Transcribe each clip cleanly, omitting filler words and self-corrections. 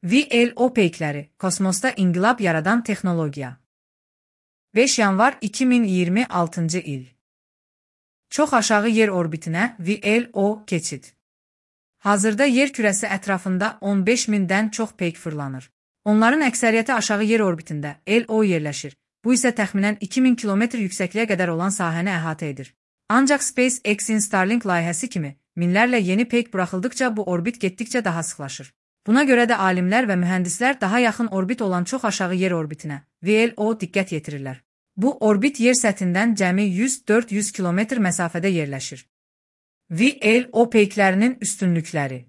VLO peykləri, kosmosda inqilab yaradan texnologiya. 5 yanvar 2026-cı il. Çox aşağı yer orbitinə VLO keçid. Hazırda yer kürəsi ətrafında 15 mindən çox peyk fırlanır. Onların əksəriyyəti aşağı yer orbitində LO yerləşir. Bu isə təxminən 2000 kilometr yüksəkliyə qədər olan sahəni əhatə edir. Ancaq SpaceX-in Starlink layihəsi kimi minlərlə yeni peyk buraxıldıqca bu orbit getdikcə daha sıxlaşır. Buna görə də alimlər və mühəndislər daha yaxın orbit olan çox aşağı yer orbitinə VLO diqqət yetirirlər. Bu orbit yer səthindən cəmi 100-400 kilometr məsafədə yerləşir. VLO peyklərinin üstünlükləri.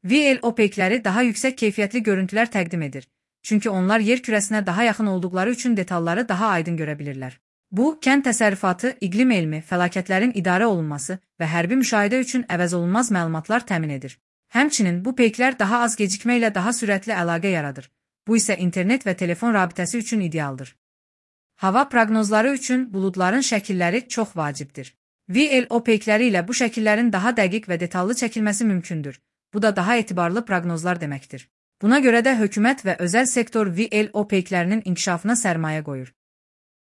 VLO peykləri daha yüksək keyfiyyətli görüntülər təqdim edir. Çünki onlar yer kürəsinə daha yaxın olduqları üçün detalları daha aydın görə bilirlər. Bu, kənd təsərrüfatı, iqlim elmi, fəlakətlərin idarə olunması və hərbi müşahidə üçün əvəzolunmaz məlumatlar təmin edir. Həmçinin bu peyklər daha az gecikmə ilə daha sürətli əlaqə yaradır. Bu isə internet və telefon rabitəsi üçün idealdır. Hava proqnozları üçün buludların şəkilləri çox vacibdir. VLO peykləri ilə bu şəkillərin daha dəqiq və detallı çəkilməsi mümkündür. Bu da daha etibarlı proqnozlar deməkdir. Buna görə də hökumət və özəl sektor VLO peyklərinin inkişafına sərmayə qoyur.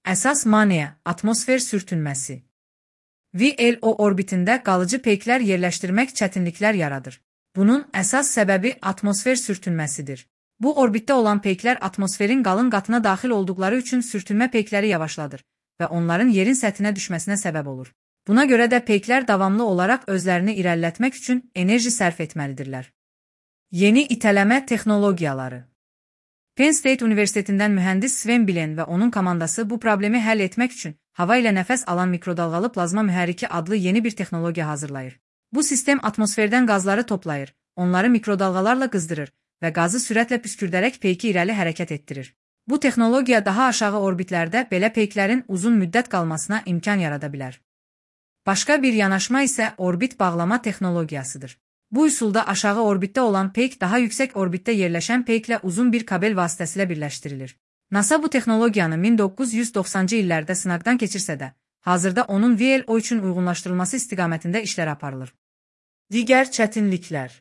Əsas maneə, atmosfer sürtünməsi. VLO orbitində qalıcı peyklər yerləşdirmək çətinliklər yaradır. Bunun əsas səbəbi atmosfer sürtünməsidir. Bu orbitdə olan peyklər atmosferin qalın qatına daxil olduqları üçün sürtünmə peykləri yavaşladır və onların yerin səthinə düşməsinə səbəb olur. Buna görə də peyklər davamlı olaraq özlərini irəlilətmək üçün enerji sərf etməlidirlər. Yeni itələmə texnologiyaları. Penn State Universitetindən mühəndis Sven Bilen və onun komandası bu problemi həll etmək üçün hava ilə nəfəs alan mikrodalğalı plazma mühərriki adlı yeni bir texnologiya hazırlayır. Bu sistem atmosferdən qazları toplayır, onları mikrodalğalarla qızdırır və qazı sürətlə püskürdərək peyki irəli hərəkət etdirir. Bu texnologiya daha aşağı orbitlərdə belə peyklərin uzun müddət qalmasına imkan yarada bilər. Başqa bir yanaşma isə orbit bağlama texnologiyasıdır. Bu üsulda aşağı orbitdə olan peyk daha yüksək orbitdə yerləşən peyklə uzun bir kabel vasitəsilə birləşdirilir. NASA bu texnologiyanı 1990-cı illərdə sınaqdan keçirsə də, hazırda onun VLO üçün uyğunlaşdırılması istiqamətində işlər aparılır. Digər çətinliklər.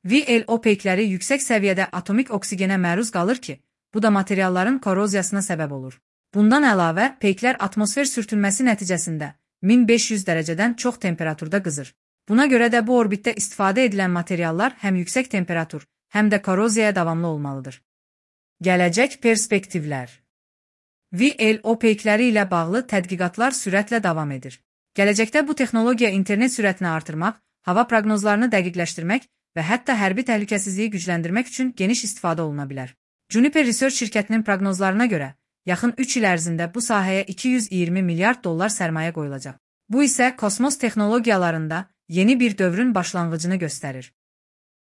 VLO peykləri yüksək səviyyədə atomik oksigenə məruz qalır ki, bu da materialların koroziyasına səbəb olur. Bundan əlavə, peyklər atmosfer sürtünməsi nəticəsində 1500 dərəcədən çox temperaturda qızır. Buna görə də bu orbitdə istifadə edilən materiallar həm yüksək temperatur, həm də koroziyaya davamlı olmalıdır. Gələcək perspektivlər. VLO peykləri ilə bağlı tədqiqatlar sürətlə davam edir. Gələcəkdə bu texnologiya internet sürətini artırmaq, hava proqnozlarını dəqiqləşdirmək və hətta hərbi təhlükəsizliyi gücləndirmək üçün geniş istifadə oluna bilər. Juniper Research şirkətinin proqnozlarına görə, yaxın 3 il ərzində bu sahəyə 220 milyard dollar sərmayə qoyulacaq. Bu isə kosmos texnologiyalarında yeni bir dövrün başlanğıcını göstərir.